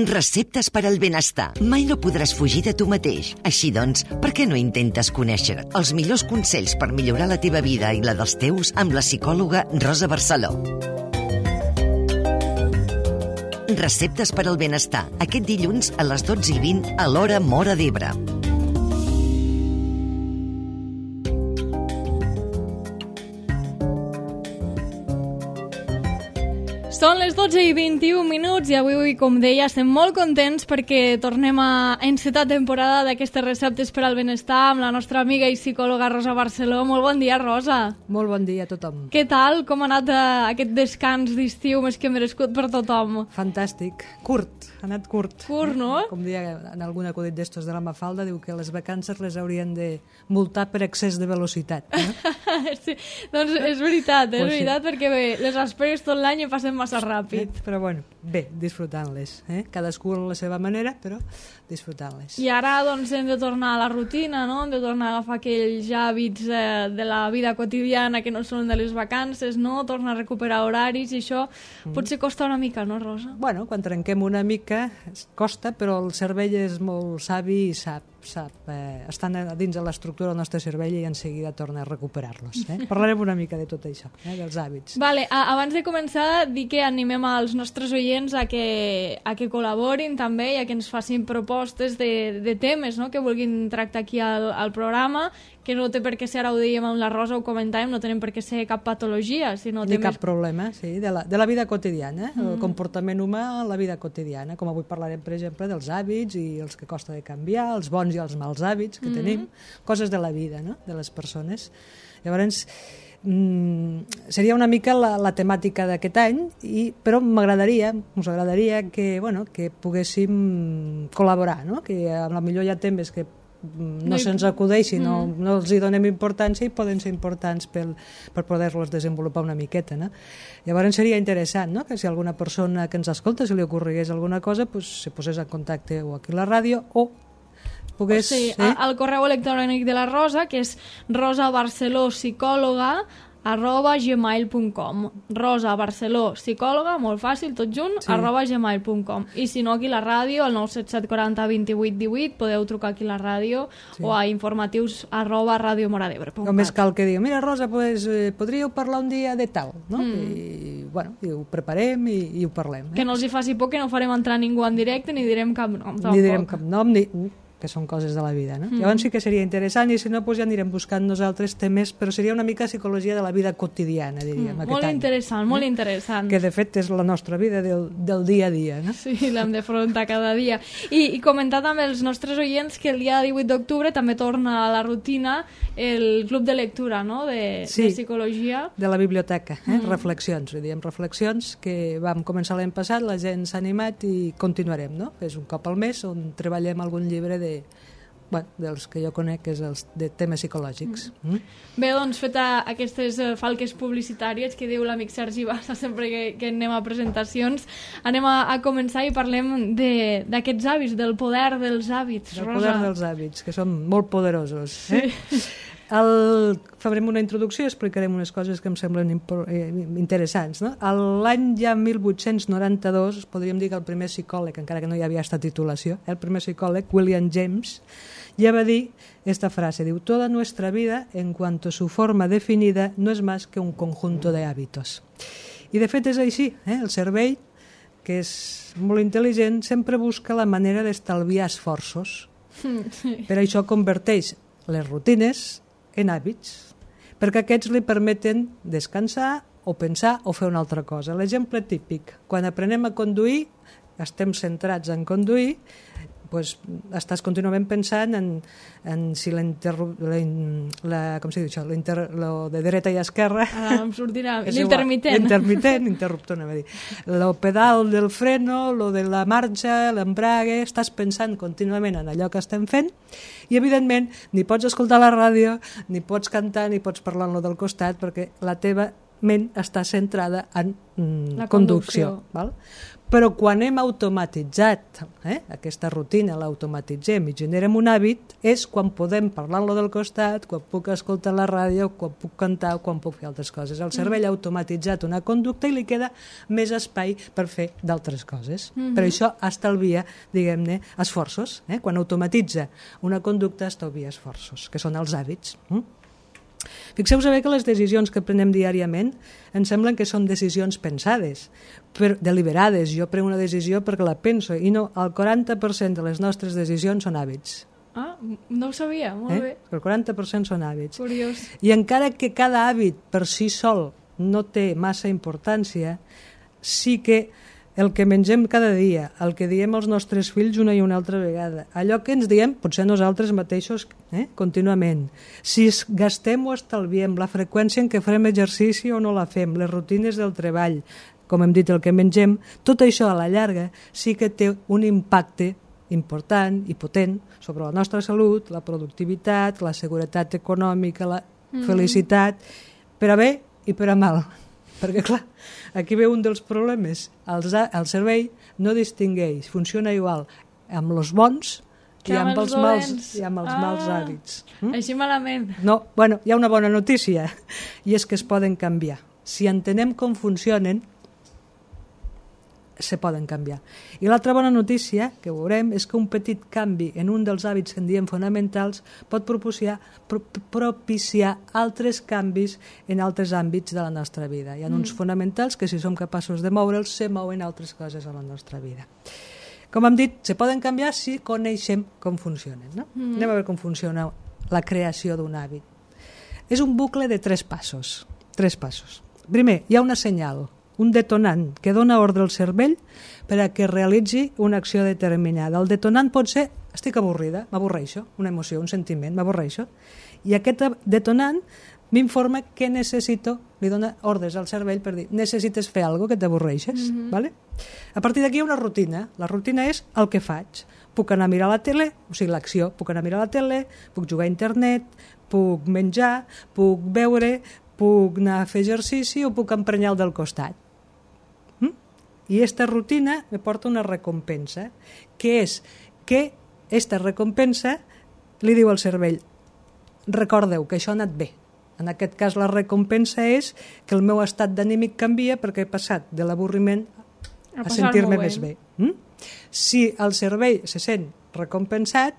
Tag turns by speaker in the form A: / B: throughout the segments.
A: Receptes per al benestar. Mai no podràs fugir de tu mateix. Així doncs, per què no intentes conèixer els millors consells per millorar la teva vida i la dels teus amb la psicòloga Rosa Barceló? Receptes per al benestar. Aquest dilluns a les 12:20 a l'hora Móra d'Ebre.
B: Són les 12:21 i avui, com deia, estem molt contents perquè tornem a encetar temporada d'aquestes receptes per al benestar amb la nostra amiga i psicòloga Rosa Barceló. Molt bon dia, Rosa.
C: Molt bon dia a tothom.
B: Què tal? Com ha anat aquest descans d'estiu més que merescut per tothom?
C: Fantàstic. Curt. Ha anat curt.
B: Curt, no?
C: Com deia en algun acudit d'estos de la Mafalda, diu que les vacances les haurien de multar per excés de velocitat.
B: Sí, doncs és veritat,
C: Pues
B: veritat, perquè bé, les esperes tot l'any i passen massa ràpid.
C: Però bueno, bé, disfrutant-les. Cadascú a la seva manera, però disfrutant-les.
B: I ara doncs hem de tornar a la rutina, no? Hem de tornar a agafar aquells hàbits de la vida quotidiana que no són de les vacances, no? Tornar a recuperar horaris i això potser costa una mica, no, Rosa?
C: Bueno, quan trenquem una mica costa, però el cervell és molt savi i sap estan dins de l'estructura del nostre cervell i en seguida torna a recuperar-los. Parlarem una mica de tot això, dels hàbits.
B: Vale, abans de començar, dir que animem als nostres oients a que col·laborin també i a que ens facin propostes de temes, no?, que vulguin tractar aquí al programa, que no té per què ser, ara ho dèiem amb la Rosa, ho comentàvem, no tenen per què ser cap patologia, sinó
C: ni cap problema, sí, de la vida quotidiana, el comportament humà a la vida quotidiana, com avui parlarem, per exemple, dels hàbits i els que costa de canviar, els bons i els mals hàbits que tenim, coses de la vida, no?, de les persones. Llavors, seria una mica la temàtica d'aquest any, però us agradaria que poguéssim col·laborar, no?, que potser hi ha temes que no se'ns acudeixin, no els hi donem importància i poden ser importants per poder-los desenvolupar una miqueta, no? Llavors seria interessant, no?, que si alguna persona que ens escolta, si li ocorregués alguna cosa, se posés en contacte o aquí a la ràdio o pogués...
B: al correu electrònic de la Rosa, que és rosabarcelopsicòloga@gmail.com. Rosa Barceló Psicòloga, molt fàcil, tot junt, @gmail.com. I si no, aquí a la ràdio, al 977 40 28 18, podeu trucar aquí a la ràdio o a informatius@radiomoradebre.cat.
C: Només cal que digui, mira, Rosa, podríeu parlar un dia de tal, no? I ho preparem i ho parlem.
B: Que no els hi faci por, que no farem entrar ningú en directe ni direm cap nom.
C: Ni direm cap nom, que són coses de la vida, no? Llavors sí que seria interessant, i si no, ja anirem buscant nosaltres temes, però seria una mica psicologia de la vida quotidiana, diríem,
B: molt interessant, molt interessant.
C: Que de fet és la nostra vida del dia a dia, no?
B: Sí, l'hem d'afrontar cada dia. I comentar també als nostres oients que el dia 18 d'octubre també torna a la rutina el club de lectura, no?, de psicologia.
C: De la biblioteca, reflexions, diem reflexions, que vam començar l'any passat, la gent s'ha animat i continuarem, no? És un cop al mes on treballem algun llibre dels que jo conec, que és els de temes psicològics.
B: Bé, doncs, feta aquestes falques publicitàries que diu l'amic Sergi Bassa sempre que anem a presentacions, anem a començar i parlem d'aquests hàbits, del poder dels hàbits, Rosa.
C: Del poder dels hàbits, que són molt poderosos.
B: Sí.
C: Farem una introducció i explicarem unes coses que em semblen interessants, no? L'any ja 1892, podríem dir que el primer psicòleg, encara que no hi havia esta titulació, el primer psicòleg, William James, ja va dir esta frase, diu, toda nuestra vida, en cuanto a su forma definida, no es más que un conjunto de hábitos. I de fet és així, el cervell, que és molt intel·ligent, sempre busca la manera d'estalviar esforços. Per això converteix les rutines en hàbits, perquè aquests li permeten descansar o pensar o fer una altra cosa. L'exemple típic, quan aprenem a conduir, estem centrats en conduir, estàs contínuament pensant en si lo de dreta i esquerra...
B: Em sortirà l'intermitent.
C: Interruptor, anava a dir. Lo pedal del freno, lo de la marxa, l'embrague, estàs pensant contínuament en allò que estem fent i, evidentment, ni pots escoltar la ràdio, ni pots cantar, ni pots parlar en lo del costat, perquè la teva ment està centrada en
B: la
C: conducció. Val? Però quan hem automatitzat aquesta rutina, l'automatitzem i generem un hàbit, és quan podem parlar-lo del costat, quan puc escoltar la ràdio, quan puc cantar o quan puc fer altres coses. El cervell ha automatitzat una conducta i li queda més espai per fer d'altres coses. Per això estalvia, diguem-ne, esforços. Quan automatitza una conducta, estalvia esforços, que són els hàbits. Fixeu-vos bé que les decisions que prenem diàriament ens semblen que són decisions pensades, deliberades. Jo prenc una decisió perquè la penso, i no, el 40% de les nostres decisions són hàbits.
B: Ah, no ho sabia, molt bé.
C: El 40% són hàbits.
B: Curiós.
C: I encara que cada hàbit per si sol no té massa importància, sí que el que mengem cada dia, el que diem als nostres fills una i una altra vegada, allò que ens diem, potser nosaltres mateixos, contínuament, si gastem o estalviem, la freqüència en què farem exercici o no la fem, les rutines del treball, com hem dit, el que mengem, tot això a la llarga sí que té un impacte important i potent sobre la nostra salut, la productivitat, la seguretat econòmica, la felicitat, per a bé i per a mal. Perquè, clar, aquí ve un dels problemes. El cervell no distingueix, funciona igual amb els bons i amb els mals hàbits.
B: Així malament.
C: No, bueno, hi ha una bona notícia, i és que es poden canviar. Si entenem com funcionen, se poden canviar. I l'altra bona notícia que veurem és que un petit canvi en un dels hàbits que en diem fonamentals pot propiciar altres canvis en altres àmbits de la nostra vida. Hi ha uns fonamentals que, si som capaços de moure'ls, se mouen altres coses a la nostra vida. Com hem dit, se poden canviar si coneixem com funcionen. No? Anem a veure com funciona la creació d'un hàbit. És un bucle de 3 passos. 3 passos. Primer, hi ha una senyal, un detonant que dona ordre al cervell per a que realitzi una acció determinada. El detonant pot ser, estic avorrida, m'avorreixo, una emoció, un sentiment, m'avorreixo, i aquest detonant m'informa què necessito, li dona ordres al cervell per dir, necessites fer alguna cosa que t'avorreixes, ¿vale? A partir d'aquí hi ha una rutina. La rutina és el que faig. Puc anar a mirar la tele, o sigui, l'acció, puc anar a mirar la tele, puc jugar a internet, puc menjar, puc beure, puc anar a fer exercici o puc emprenyar el del costat. I aquesta rutina me porta una recompensa, que és que aquesta recompensa li diu al cervell, recordeu que això ha anat bé. En aquest cas la recompensa és que el meu estat d'anímic canvia perquè he passat de l'avorriment a sentir-me més bé. Si el cervell se sent recompensat,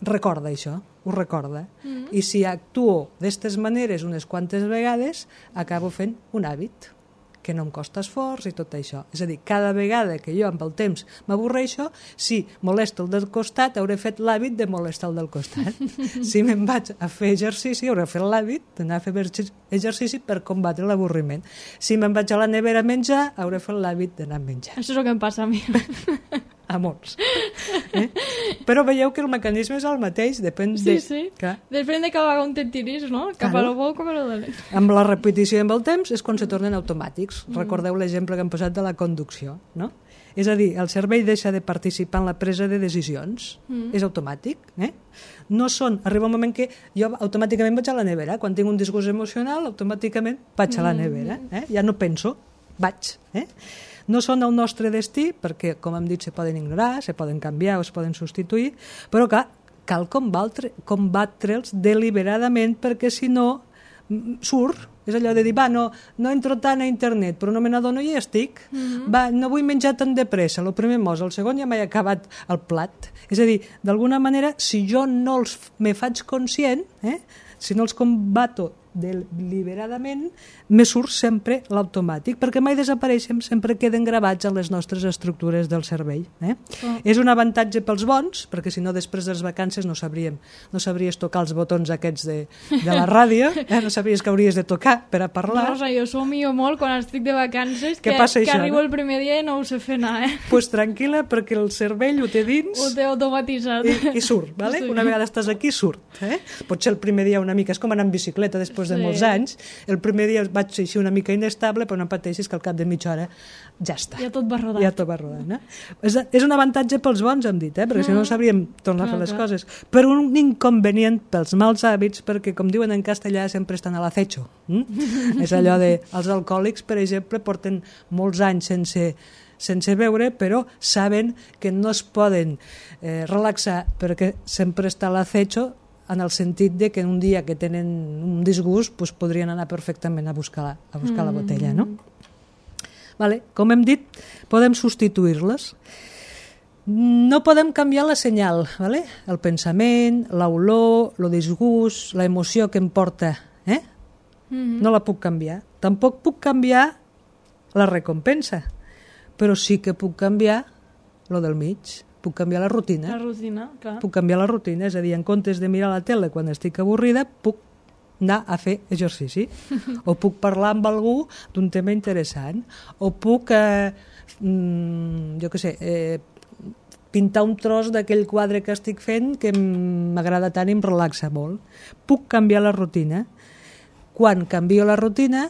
C: recorda això, ho recorda. I si actuo d'aquestes maneres unes quantes vegades, acabo fent un hàbit que no em costa esforç i tot això. És a dir, cada vegada que jo amb el temps m'avorreixo, si molesto el del costat, hauré fet l'hàbit de molestar el del costat. Si me'n vaig a fer exercici, hauré fet l'hàbit d'anar a fer exercici per combatre l'avorriment. Si me'n vaig a la nevera a menjar, hauré fet l'hàbit d'anar a menjar.
B: Això és el que em passa a mi.
C: A molts. Però veieu que el mecanisme és el mateix, depèn de...
B: Sí. Depèn de cap on te tiris, no? Cap a lo bo o cap a lo dolent.
C: Amb la repetició i amb el temps és quan se tornen automàtics. Recordeu l'exemple que hem posat de la conducció, no? És a dir, el cervell deixa de participar en la presa de decisions. És automàtic. No són... Arriba un moment que jo automàticament vaig a la nevera. Quan tinc un disgust emocional, automàticament vaig a la nevera. Ja no penso, vaig. No són el nostre destí, perquè, com hem dit, se poden ignorar, se poden canviar o es poden substituir, però cal combatre'ls deliberadament, perquè si no surt. És allò de dir, no entro tant a internet, però no me n'adono i ja estic. No vull menjar tan de pressa, el primer mos, el segon ja m'he acabat el plat. És a dir, d'alguna manera, si jo no me faig conscient, si no els combato deliberadament, me surt sempre l'automàtic, perquè mai desapareixen, sempre queden gravats en les nostres estructures del cervell. És un avantatge pels bons, perquè si no després de les vacances no sabries tocar els botons aquests de la ràdio, no sabries que hauries de tocar per a parlar.
B: Rosa, jo somio molt quan estic de vacances, que arribo el primer dia i no ho sé fer anar.
C: Pues tranquil·la, perquè el cervell ho té dins,
B: ho té automatitzat
C: i surt, vale? Una vegada estàs aquí, surt. Potser el primer dia una mica és com anar en bicicleta, després després de molts anys. El primer dia vaig ser així una mica inestable, però no pateixis que al cap de mitja hora ja està.
B: Ja tot va rodant.
C: Ja tot va rodant, És un avantatge pels bons, hem dit, perquè si no sabríem tornar a fer les coses. Però un inconvenient pels mals hàbits, perquè, com diuen en castellà, sempre estan a l'acecho. És allò de, els alcohòlics, per exemple, porten molts anys sense beure, però saben que no es poden relaxar perquè sempre està a l'acecho, en el sentit de que un dia que tenen un disgust pues, podrien anar perfectament a buscar la botella, no? Vale. Com hem dit, podem substituir-les. No podem canviar la senyal, vale? El pensament, l'olor, el disgust, l'emoció que em porta, no la puc canviar. Tampoc puc canviar la recompensa, però sí que puc canviar lo del mig. Puc canviar la rutina.
B: La rutina, clar.
C: Puc canviar la rutina, és a dir, en comptes de mirar la tele quan estic avorrida, puc anar a fer exercici. O puc parlar amb algú d'un tema interessant. O puc, jo què sé, pintar un tros d'aquell quadre que estic fent que m'agrada tant i em relaxa molt. Puc canviar la rutina. Quan canvio la rutina,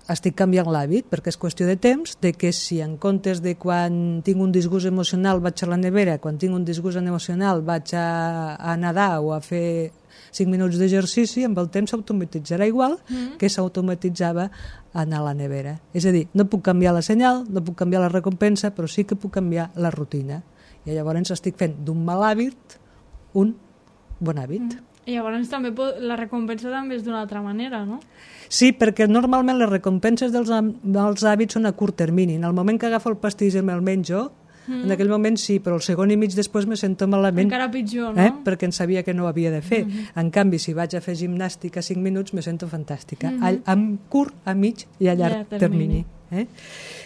C: estic canviant l'hàbit, perquè és qüestió de temps, de que si en comptes de quan tinc un disgust emocional vaig a la nevera, quan tinc un disgust emocional vaig a nedar o a fer 5 minuts d'exercici, amb el temps s'automatitzarà igual que s'automatitzava anar a la nevera. És a dir, no puc canviar la senyal, no puc canviar la recompensa, però sí que puc canviar la rutina. I llavors estic fent d'un mal hàbit un bon hàbit.
B: I llavors també la recompensa també és d'una altra manera, no?
C: Sí, perquè normalment les recompenses dels hàbits són a curt termini. En el moment que agafo el pastís i me'l menjo, en aquell moment sí, però el segon i mig després me sento malament.
B: Encara pitjor, no?
C: Perquè en sabia que no ho havia de fer. En canvi, si vaig a fer gimnàstica 5 minuts, me sento fantàstica. A curt, a mig i a llarg termini.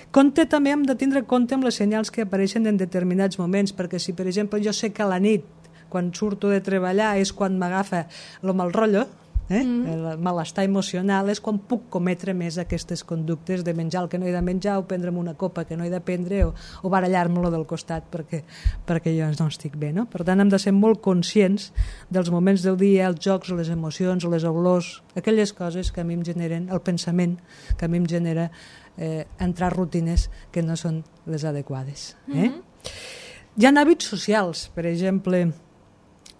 C: Compte també hem de tindre compte amb les senyals que apareixen en determinats moments, perquè si, per exemple, jo sé que a la nit, quan surto de treballar, és quan m'agafa el mal rotllo, el malestar emocional, és quan puc cometre més aquestes conductes de menjar el que no he de menjar o prendre'm una copa que no he de prendre o barallar-me-lo del costat perquè jo no estic bé, no? Per tant, hem de ser molt conscients dels moments del dia, els jocs, les emocions, les olors, aquelles coses que a mi em generen, el pensament que a mi em genera entrar rutines que no són les adequades. Hi ha hàbits socials, per exemple,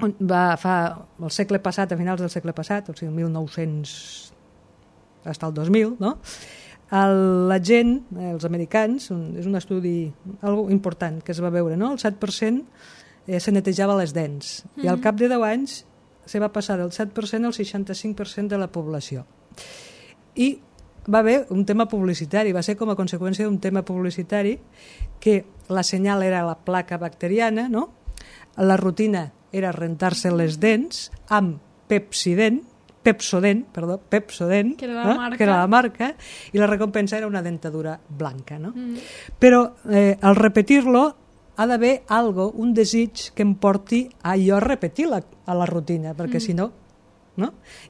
C: el segle passat, a finals del segle passat, o sigui, 1900 fins al 2000, no? La gent, els americans, és un estudi algo important que es va veure, no? El 7% se netejava les dents i al cap de 10 anys se va passar del 7% al 65% de la població. I va haver un tema publicitari, va ser com a conseqüència d'un tema publicitari que la senyal era la placa bacteriana, no? La rutina era rentar-se les dents amb Pepsodent,
B: que era
C: la marca, i la recompensa era una dentadura blanca. No? Però al repetir-lo ha d'haver un desig que em porti a jo repetir a la rutina, perquè si no...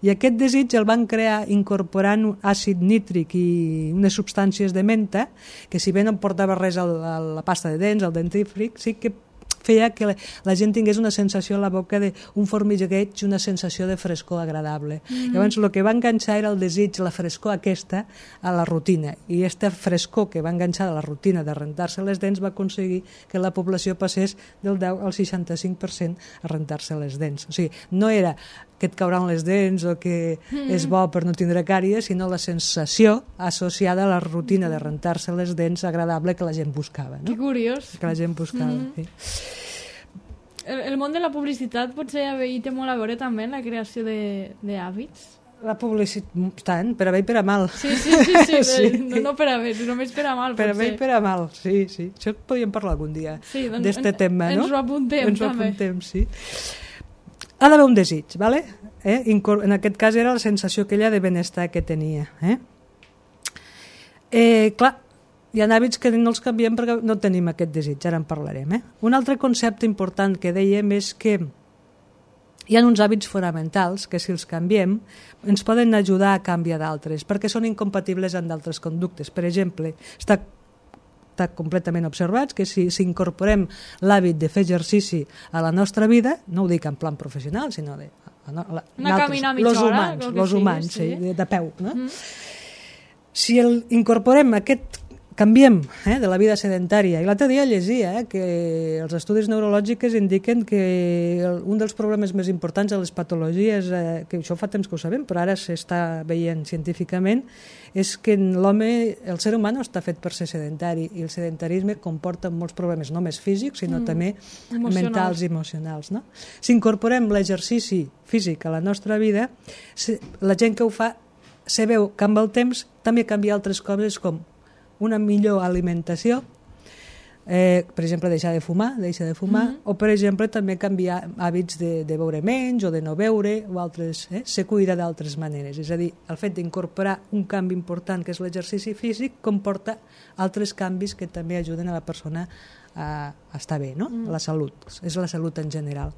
C: I aquest desig el van crear incorporant àcid nítric i unes substàncies de menta que si bé no em portava res a la pasta de dents, al dentífric, sí que feia que la gent tingués una sensació a la boca d'un formigueig i una sensació de frescor agradable. Llavors el que va enganxar era el desig, la frescor aquesta a la rutina, i aquesta frescor que va enganxar a la rutina de rentar-se les dents va aconseguir que la població passés del 10 al 65% a rentar-se les dents. O sigui, no era que et cauran les dents o que és bo per no tindre càries, sinó la sensació associada a la rutina de rentar-se les dents agradable que la gent buscava. No?
B: Que curiós.
C: Que la gent buscava, sí.
B: El món de la publicitat potser hi té molt a veure també en la creació d'hàbits?
C: La publicitat, tant, per a bé i per a mal.
B: Sí. No per a bé, només per a mal.
C: Per a bé i per a mal, sí. Això podríem parlar algun dia d'este tema, no?
B: Ens ho apuntem, també.
C: Ens ho apuntem, sí. Ha d'haver un desig, ¿vale? En aquest cas era la sensació aquella de benestar que tenia. Clar, hi ha hàbits que no els canviem perquè no tenim aquest desig, ara en parlarem. Un altre concepte important que dèiem és que hi ha uns hàbits fonamentals que si els canviem ens poden ajudar a canviar d'altres perquè són incompatibles amb d'altres conductes. Per exemple, està completament observats que si incorporem l'hàbit de fer exercici a la nostra vida, no ho dic en plan professional, sinó
B: Anar a caminar mitja hora,
C: els humans,
B: sí.
C: de peu. No? Si incorporem canviem de la vida sedentària, i l'altre dia llegia que els estudis neurològics indiquen que un dels problemes més importants de les patologies, que això fa temps que ho sabem, però ara s'està veient científicament, és que l'home, el ser humà no està fet per ser sedentari, i el sedentarisme comporta molts problemes, no només físics, sinó també mentals i emocionals. No? Si incorporem l'exercici físic a la nostra vida, la gent que ho fa se veu que amb el temps també canvia altres coses com una millor alimentació, per exemple, deixa de fumar, o per exemple també canviar hàbits de beure menys o de no beure, o altres, se cuida d'altres maneres. És a dir, el fet d'incorporar un canvi important que és l'exercici físic comporta altres canvis que també ajuden a la persona a estar bé, no? La salut, és la salut en general.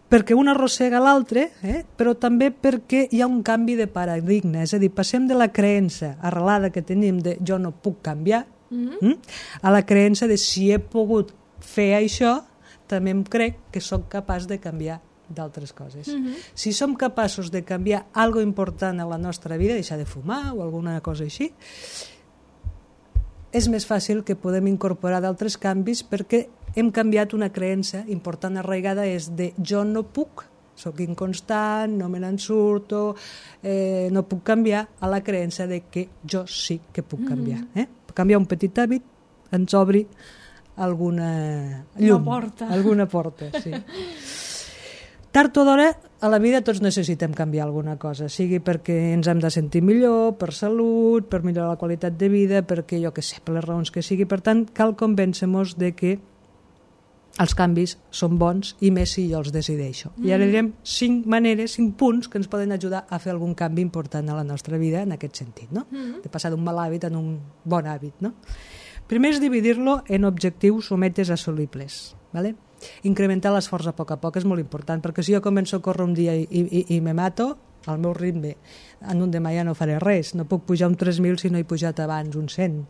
C: Perquè un arrossega l'altre, però també perquè hi ha un canvi de paradigma, és a dir, passem de la creença arrelada que tenim de jo no puc canviar, a la creença de si he pogut fer això, també em crec que sóc capaç de canviar d'altres coses. Si som capaços de canviar algo important a la nostra vida, deixar de fumar o alguna cosa així, és més fàcil que podem incorporar d'altres canvis perquè hem canviat una creença important arraigada, és de jo no puc, sóc inconstant, no me n'en surto, no puc canviar, a la creença de que jo sí que puc canviar. Canviar un petit hàbit ens obri alguna llum, alguna porta. Sí. Tard o d'hora, a la vida tots necessitem canviar alguna cosa, sigui perquè ens hem de sentir millor, per salut, per millorar la qualitat de vida, perquè jo que sé, per les raons que sigui. Per tant, cal convèncer-nos de que els canvis són bons, i més si jo els decideixo. I ara direm 5 maneres, 5 punts que ens poden ajudar a fer algun canvi important a la nostra vida en aquest sentit, no? De passar d'un mal hàbit a un bon hàbit, no? Primer és dividir-lo en objectius o metes assolibles, ¿vale? Incrementar l'esforç a poc és molt important, perquè si jo començo a córrer un dia i me mato, al meu ritme, en un demà ja no faré res, no puc pujar un 3.000 si no he pujat abans un 100.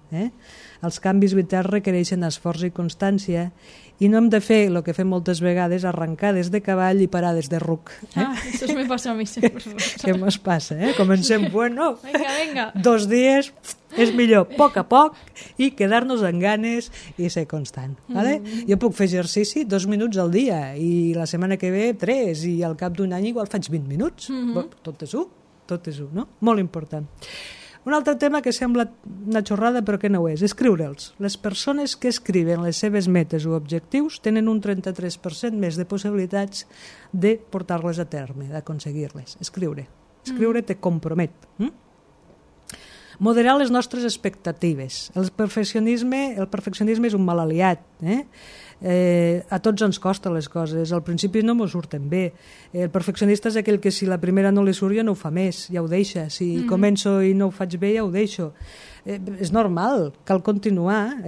C: Els canvis vitals requereixen esforç i constància, i no hem de fer el que fem moltes vegades, arrencades de cavall i parades de ruc.
B: Això me passa a mi sempre.
C: Què mos passa? Comencem, bueno,
B: venga.
C: 2 dies, és millor a poc, i quedar-nos en ganes i ser constant. Vale? Jo puc fer exercici 2 minuts al dia, i la setmana que ve 3, i al cap d'un any igual faig 20 minuts. Tot és un, no? Molt important. Un altre tema que sembla una xorrada però que no ho és, escriure'ls. Les persones que escriuen les seves metes o objectius tenen un 33% més de possibilitats de portar-les a terme, d'aconseguir-les. Escriure te compromet. Moderar les nostres expectatives. El perfeccionisme és un mal aliat. A tots ens costa les coses, al principi no m'ho surten bé. El perfeccionista és aquell que si la primera no li surt ja no ho fa més, ja ho deixa. Si començo i no ho faig bé ja ho deixo. És normal, cal continuar.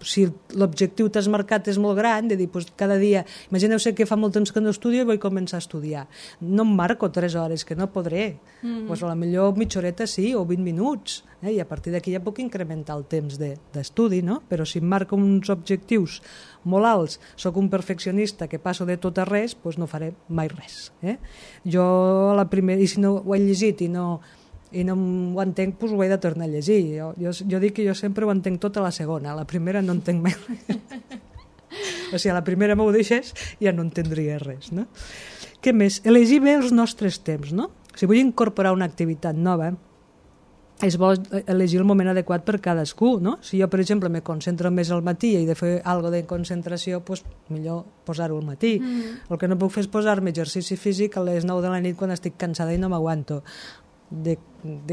C: Si l'objectiu t'has marcat és molt gran, de dir, cada dia, imagineu-se que fa molt temps que no estudio i vull començar a estudiar. No em marco 3 hores, que no podré. A la millor mitja horeta sí, o 20 minuts. I a partir d'aquí ja puc incrementar el temps d'estudi, no? Però si em marco uns objectius molt alts, sóc un perfeccionista que passo de tot a res, doncs no faré mai res. Jo a la primera, i si no ho he llegit i no ho entenc, doncs ho he de tornar a llegir. Jo dic que jo sempre ho entenc tot a la segona, a la primera no entenc mai res. O sigui, a la primera m'ho deixes ja no entendria res, no? Què més? Elegir bé els nostres temps, no? Si vull incorporar una activitat nova, és bo elegir el moment adequat per cadascú, no? Si jo, per exemple, me concentro més al matí i he de fer alguna de concentració, doncs millor posar-ho al matí. El que no puc fer és posar-me exercici físic a les 9 de la nit quan estic cansada i no m'aguanto. De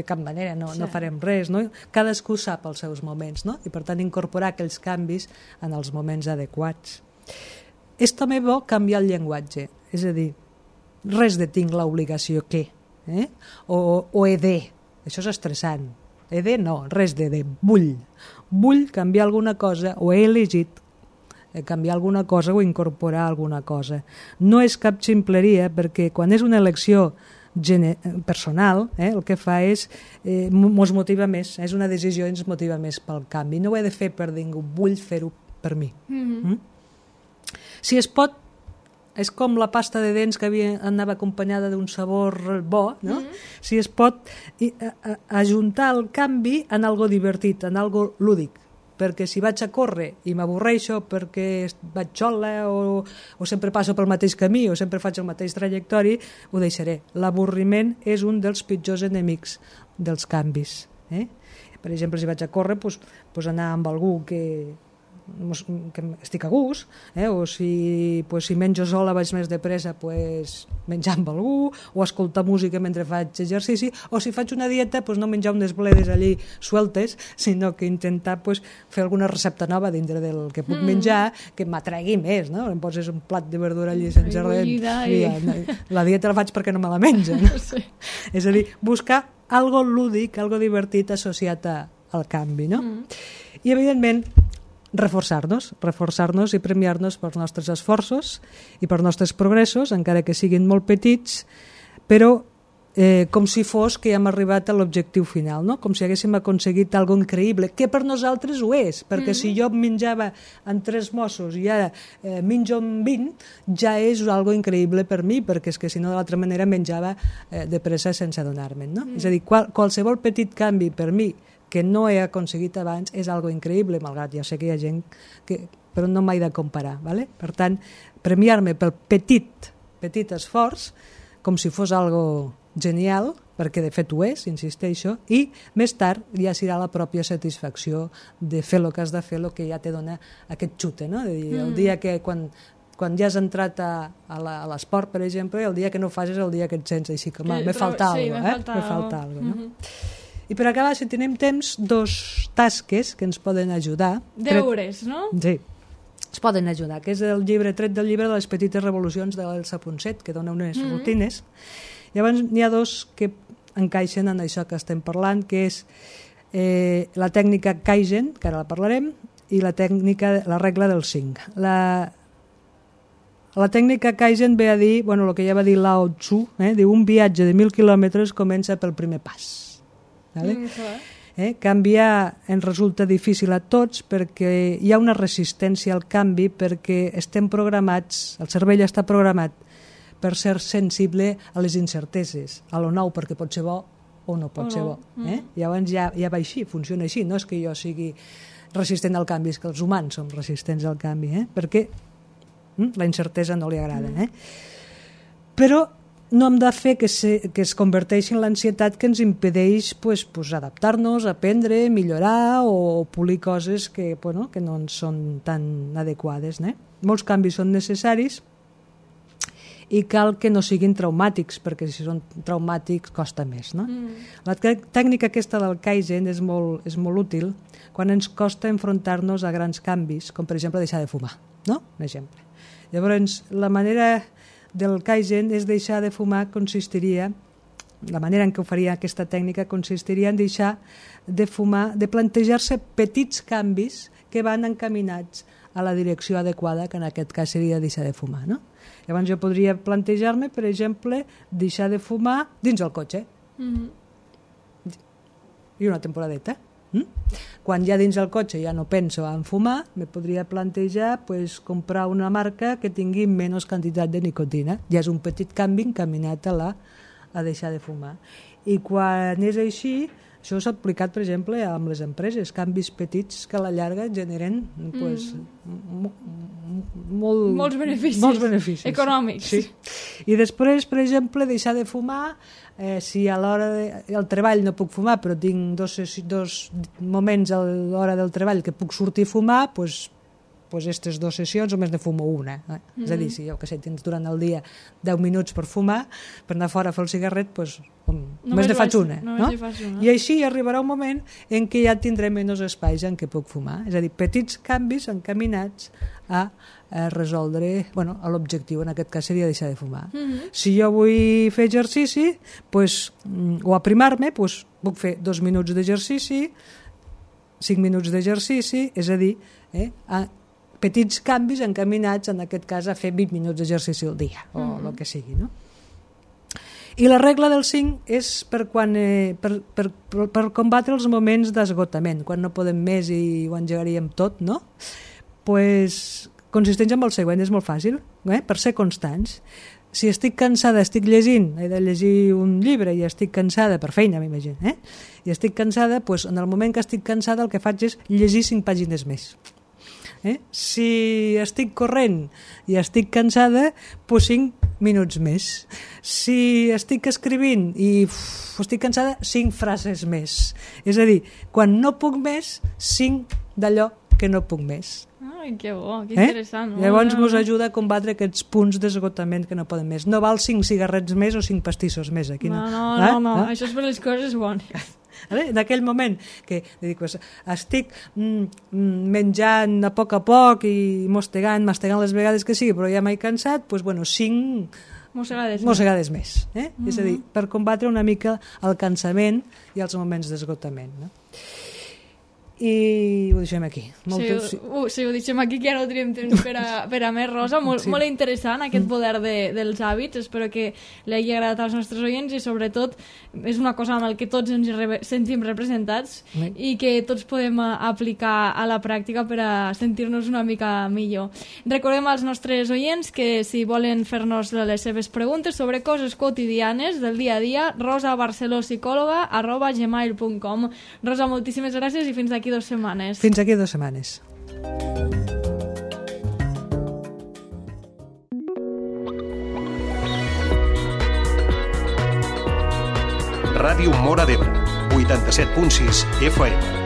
C: cap manera, no farem res, no? Cadascú sap els seus moments, no? I per tant incorporar aquells canvis en els moments adequats. És també bo canviar el llenguatge, és a dir, res de tinc l'obligació que, o he de. Això és estressant. He de no, res de vull canviar alguna cosa, o he elegit canviar alguna cosa o incorporar alguna cosa. No és cap ximpleria, perquè quan és una elecció personal, el que fa és mos motiva més, és una decisió i ens motiva més pel canvi. No ho he de fer per ningú, vull fer-ho per mi. Si es pot, és com la pasta de dents que anava acompanyada d'un sabor bo, no? Si es pot ajuntar el canvi en algo divertit, en algo lúdic, perquè si vaig a córrer i m'avorreixo perquè vaig xola o sempre passo pel mateix camí o sempre faig el mateix trajectori, ho deixaré. L'avorriment és un dels pitjors enemics dels canvis. Per exemple, si vaig a córrer, doncs anar amb algú que estic a gust, o si menjo sola vaig més de pressa, menjar amb algú, o escoltar música mentre faig exercici, o si faig una dieta, no menjar unes bledes allí sueltes, sinó que intentar fer alguna recepta nova dintre del que puc menjar, que m'atregui més, no? Em poses un plat de verdura allí sense res. La dieta la faig perquè no me la menjo, no? Sí. És a dir, buscar algo lúdic, algo divertit associat al canvi, no? I, evidentment, reforçar-nos i premiar-nos pels nostres esforços i pels nostres progressos, encara que siguin molt petits, però com si fos que hem arribat a l'objectiu final, no? Com si haguéssim aconseguit algo increïble, que per nosaltres ho és, perquè si jo menjava en 3 mossos i ara menjo en 20, ja és algo increïble per mi, perquè és que si no, de l'altra manera menjava de pressa sense adonar-me'n, no? És a dir, qualsevol petit canvi per mi que no he aconseguit abans és algo increïble, malgrat ja sé que hi ha gent però no m'he de comparar, ¿vale? Per tant, premiar-me pel petit esforç com si fos algo genial, perquè de fet ho és, insisteixo, i més tard ja serà la pròpia satisfacció de fer el que has de fer, el que ja te dona aquest xute, no? De dir, el dia que quan ja has entrat a l'esport, per exemple, el dia que no fas és el dia que et sents així com, me falta alguna cosa, no? I per acabar, si tenim temps, 2 tasques que ens poden ajudar.
B: Deures, no?
C: Sí, ens poden ajudar, que és el llibre tret del llibre de les petites revolucions de l'Elsa Ponset, que dona unes rutines. Llavors n'hi ha 2 que encaixen en això que estem parlant, que és la tècnica Kaizen, que ara la parlarem, i la regla del 5. La tècnica Kaizen ve a dir, el que ja va dir Lao Tzu, diu, un viatge de 1.000 quilòmetres comença pel primer pas. Canviar ens resulta difícil a tots perquè hi ha una resistència al canvi, perquè estem programats, el cervell està programat per ser sensible a les incerteses, a lo nou, perquè pot ser bo o no pot ser bo. Llavors ja va així, funciona així, no és que jo sigui resistent al canvi, és que els humans som resistents al canvi, perquè la incertesa no li agrada. Però no hem de fer que es converteixi en l'ansietat que ens impedeix adaptar-nos, aprendre, millorar o polir coses que no ens són tan adequades. Molts canvis són necessaris i cal que no siguin traumàtics, perquè si són traumàtics costa més. La tècnica aquesta del Kaizen és molt útil quan ens costa enfrontar-nos a grans canvis, com per exemple deixar de fumar, no? Un exemple. Llavors, la manera del Kaizen és deixar de fumar la manera en què ho faria aquesta tècnica consistiria en deixar de fumar, de plantejar-se petits canvis que van encaminats a la direcció adequada, que en aquest cas seria deixar de fumar, no? Llavors jo podria plantejar-me, per exemple, deixar de fumar dins el cotxe. I una temporadeta. Quan ja dins el cotxe ja no penso en fumar, me podria plantejar comprar una marca que tingui menys quantitat de nicotina. Ja és un petit canvi encaminat a deixar de fumar. I quan és així, això s'ha aplicat, per exemple, amb les empreses, canvis petits que a la llarga generen molts beneficis
B: econòmics.
C: Sí. I després, per exemple, deixar de fumar, si a l'hora del treball no puc fumar, però tinc dos moments a l'hora del treball que puc sortir a fumar, doncs aquestes 2 sessions només ne fumo una. És a dir, si jo tens durant el dia 10 minuts per fumar, per anar fora a fer el cigarret, només ne faig una. I així arribarà un moment en què ja tindré menys espais en què puc fumar. És a dir, petits canvis encaminats a resoldre l'objectiu, en aquest cas seria deixar de fumar. Si jo vull fer exercici o aprimar-me, puc fer 2 minuts d'exercici, 5 minuts d'exercici, és a dir, petits canvis encaminats, en aquest cas, a fer 20 minuts d'exercici al dia, o el que sigui, no? I la regla del 5 és per combatre els moments d'esgotament, quan no podem més i ho engegaríem tot, no? Consisteix en el següent, és molt fàcil. per ser constants. Si estic cansada, estic llegint, he de llegir un llibre i estic cansada, per feina m'imagino, i estic cansada, doncs en el moment que estic cansada el que faig és llegir 5 pàgines més. Si estic corrent i estic cansada, doncs 5 minuts més. Si estic escrivint i estic cansada, 5 frases més. És a dir, quan no puc més, 5 d'allò que no puc més.
B: Ai, que bo, que interessant.
C: Llavors vos ajuda a combatre aquests punts d'esgotament que no poden més. No val 5 cigarrets més o 5 pastissos més. Aquí no.
B: No, això és per les coses bones.
C: En aquell moment que dic, estic menjant a poc i mastegant les vegades que sigui, però ja m'he cansat, doncs, bueno, 5 mossegades més. És a dir, per combatre una mica el cansament i els moments d'esgotament. No? I ho deixem aquí.
B: Sí, ho deixem aquí, que ja no tenim temps per a més, Rosa. Molt interessant aquest poder dels hàbits. Espero que li hagi agradat als nostres oients i sobretot és una cosa amb el que tots ens sentim representats i que tots podem aplicar a la pràctica per a sentir-nos una mica millor. Recordem als nostres oients que si volen fer-nos les seves preguntes sobre coses quotidianes del dia a dia, rosabarcelopsicòloga@gmail.com. Rosa, moltíssimes gràcies i fins aquí 2 setmanes.
C: Fins aquí 2 setmanes.
D: Ràdio Móra d'Ebre, 87.6 FM.